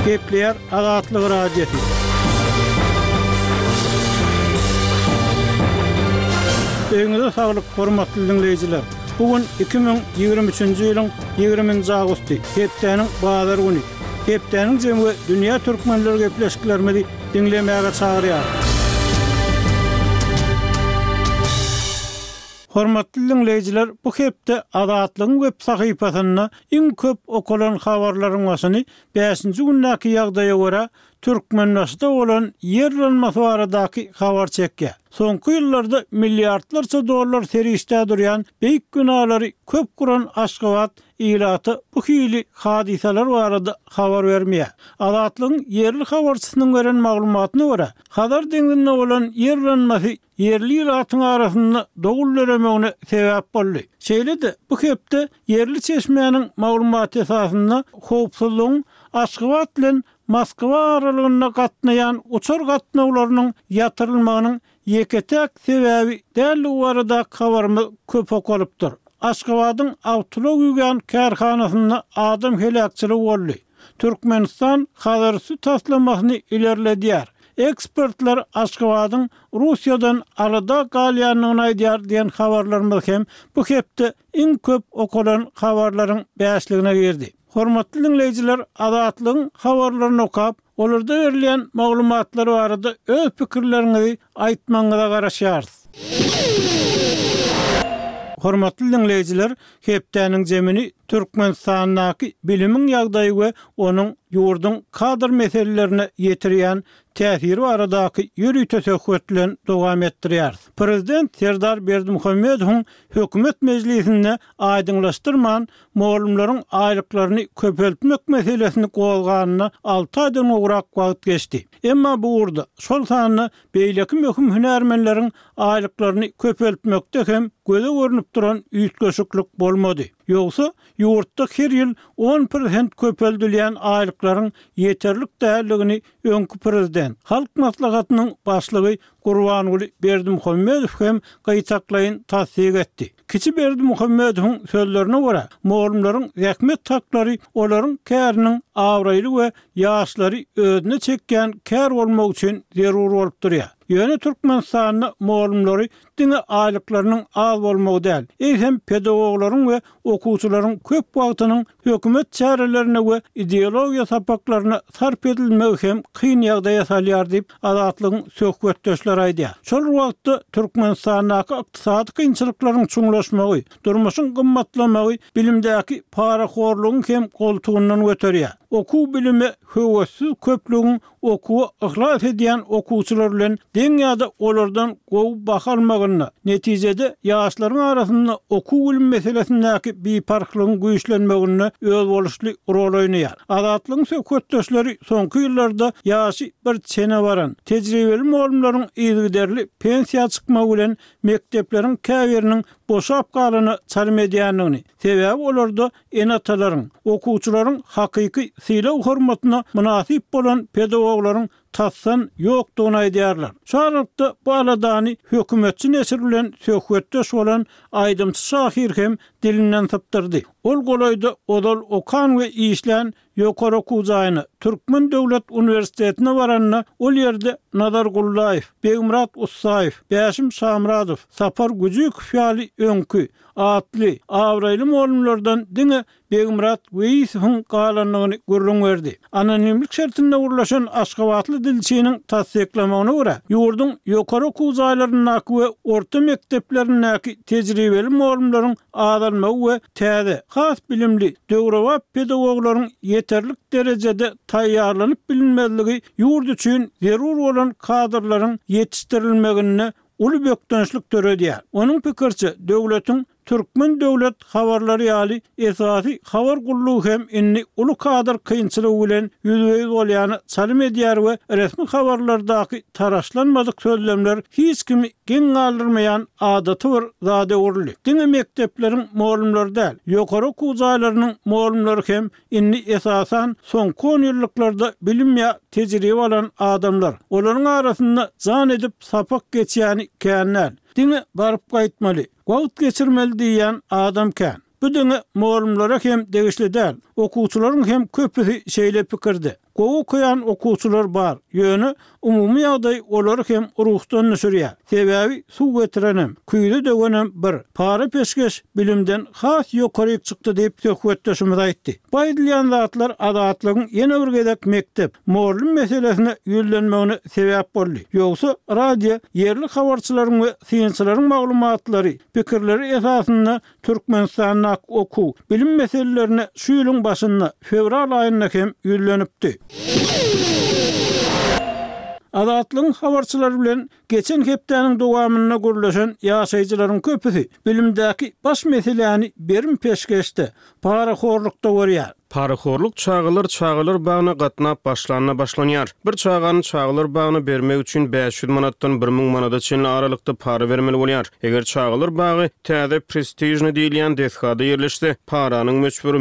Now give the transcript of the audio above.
Gepleýär Azatlyk Radiosy. Öýüňize saglyk, hormatly diňleýjiler! Bu gün 2023-nji ýylyň 20-nji awgusty, hepdäniň bazar güni. Hepdäniň jemi we dünýä türkmenleri gepleşiklerimizi diňlemäge çagyrýarys. Hormatly diňleýjiler, bu hepde Azatlygyň web sahypasynda iň köp okalan habarlaryň başyny bäşinji gündäki ýagdaýa görä, Türkmenbaşyda bolan ýer yranmasy baradaky habar çekýär. Soňky ýyllarda milliardlarça dollar serişdä durýan beýik binalary köp guran Aşgabat ilata bu hili hadysalar barada habar bermeýär. Azatlygyň ýerli habarçysynyň beren maglumatyna görä, Hazar deňzinde bolan ýer yranmasy ýerli ilatyň arasynda dowul döremegine sebäp boldy. Şeýle-de, bu hepde ýerli çeşmäniň maglumaty esasynda howpsuzlygyň Aşgabat bilen Moskwa aralygynda gatnaýan uçar gatnawlarynyň ýatyrylmagynyň ýeke-täk sebäbi däldigi baradaky habarymyz köp okalypdyr. Aşgabadyň awtoulag ýuwýan kärhanasynda adam heläkçiligi boldy. Türkmenistan Hazarüsti taslamasyny ilerledýär. Ekspertler Aşgabadyň Russiýadan alada galýandygyny aýdýar diýen habarlarymyz hem bu hepde iň köp okalan habarlaryň bäşligine girdi. Hormatly diňleýjiler Azatlygyň habarlaryny okap, olarda berilýän maglumatlar barada öz pikirleriňizi aýtmagyňyza garaşýarys. Hormatly diňleýjiler, hepdäniň jemini Türkmenistandaky bilimiň ýagdaýy we onuň ýurduň kadr meselelerine ýetirýän täsiri baradaky ýörite söhbet bilen dowam etdirýäris. Prezident Serdar Berdimuhamedowyň hökümet mejlisinde aýdyňlaşdyrman, mugallymlaryň aýlyklaryny köpeltmek meselesini gozganyna alty aýdan gowrak wagt geçdi. Emma bu ugurda, şol sanda beýleki möhüm hünärmenleriň aýlyklaryny köpeltmekde hem göze görnüp duran üýtgeşiklik bolmady. Ýogsa, ýurtda her ýyl on prosent köpeldilýän aýlyklaryň ýeterlik däldigini öňki prezident, Halk Maslahatynyň Başlygy Gurbanguly Berdimuhamedow hem gytaklaýyn tassyk etdi. Kiçi Berdimuhamedowyň sözlerine görä, mugallymlaryň zähmet haklary olaryň käriniň abraýly we ýaşlary özüne çekýän kär bolmagy üçin zerur bolup durýar. Ýöne Türkmenistanda mugallymlary diňe aýlyklarynyň az bolmagy däl, eýsem pedagoglaryň we okuwçylaryň köp wagtynyň hökümet çärelerine we ideologiýa sapaklaryna sarp edilmegi hem kyn ýagdaýa salýar diýip, Azatlygyň söhbetdeşleri aýdýar. Şol bir wagtda, Türkmenistandaky ykdysady kynçylyklaryň çuňlaşmagy, durmuşyň gymmatlamagy bilimdäki parahorlugyň hem goltugyndan göterýär. Okuw-bilime höwessiz köplügiň okuwa yhlas edýän okuwçylar bilen deň ýa-da olardan gowy baha almagynda, netijede ýaşlaryň arasynda okuw-bilim meselesindäki biparhlygyň güýçlenmeginde özboluşly rol oýnaýar. Azatlygyň söhbetdeşleri soňky ýyllarda ýaşy bir çene baran, tejribeli mugallymlaryň yzygiderli pensiýa çykmagy bilen mekdepleriň käbiriniň boşap galana çalym edýändigini, sebäbi olarda ene-atalaryň, okuwçylaryň hakyky sylag-hormatyna mynasyp bolan pedagoglaryň tasdan ýokdugyny aýdýarlar. Şu aralykda bu aladany hökümetçi neşir bilen söhbetdeş bolan aýdymçy-şahyr hem dilinden sypdyrdy. Ol golaýda ozal okan we işlän ýokary okuw jaýyna, Türkmen döwlet uniwersitetine baranda, ol ýerde Nazar Gullaýew, Begmyrat Ussaýew, Bäşim Şamyradow, Sapar Güjükow ýaly öňki, atly, abraýly mugallymlardan diňe Begmyrat Weýisowyň galandygyny gürrüň berdi. Anonimlik şertinde gürleşen aşgabatly dilçiniň tassyklamagyna görä, ýurduň ýokary okuw jaýlaryndaky we orta mekdeplerindäki tejribeli mugallymlaryň azalmagy we täze, has bilimli, döwrebap pedagoglaryň ýeterlik derejede taýýarlanyp bilinmezligi ýurt üçin zerur bolan kadrlaryň ýetişdirilmeginde uly bökdençlik döredýär. Onuň pikiriçe, döwletiň Türkmen döwlet habarlary ýaly esasy habar gullugy hem indi uly kadr kynçylygy bilen ýüzbe-ýüz bolýana çalym edýär we resmi habarlardaky taraşlanmadyk sözlemler hiç kimi geň galdyrmaýan adaty bir zada öwrüldi. Diňe mekdepleriň mugallymlary däl, ýokary okuw jaýlarynyň mugallymlary hem indi esasan soňky onýyllyklarda bilim ýa tejribe alan adamlar. Olaryň arasynda jan edip sapak geçýäni kän däl. Diňe baryp gaýtmaly, wagt geçirmeli diýýän adam kän. Bu diňe mugallymlara hem degişli däl, okuwçylaryň hem köpüsi şeýle pikirde. Gowy okaýan okuwçylar bar, ýöne umumy ýagdaý olary hem ruhdan düşürýär. Sebäbi suw getirenem, küýze döwenem bir, para-peşgeş bilimden has ýokaryk çykdy diýip, söhbetdeşimiz aýtdy. Bu aýdylýan zatlar Azatlygyň ýene bir gezek mekdep, mugallym meselesine ýüzlenmegine sebäp boldy. Ýogsa, radio ýerli habarçylaryň we synçylaryň maglumatlary, pikirleri esasynda Türkmenistandaky okuw, bilim meselelerine şu ýylyň başynda, fewral aýynda hem ýüzlenipdi. Azatlygyň habarçylary bilen geçen hepdäniň dowamynda gürleşen ýaşaýjylaryň köpüsi bilimdäki baş meseläni berim-peşgeşde, parahorlukda görýär. Parahorluk çagalar çagalar bagyna gatnap başlanda başlanýar. Bir çagany çagalar bagyna bermek üçin 500 manatdan 1000 manada çenli aralykda para bermeli bolýar. Eger çagalar bagy täze prestižnyý diýilýän desgada ýerleşse, paranyň möçberi.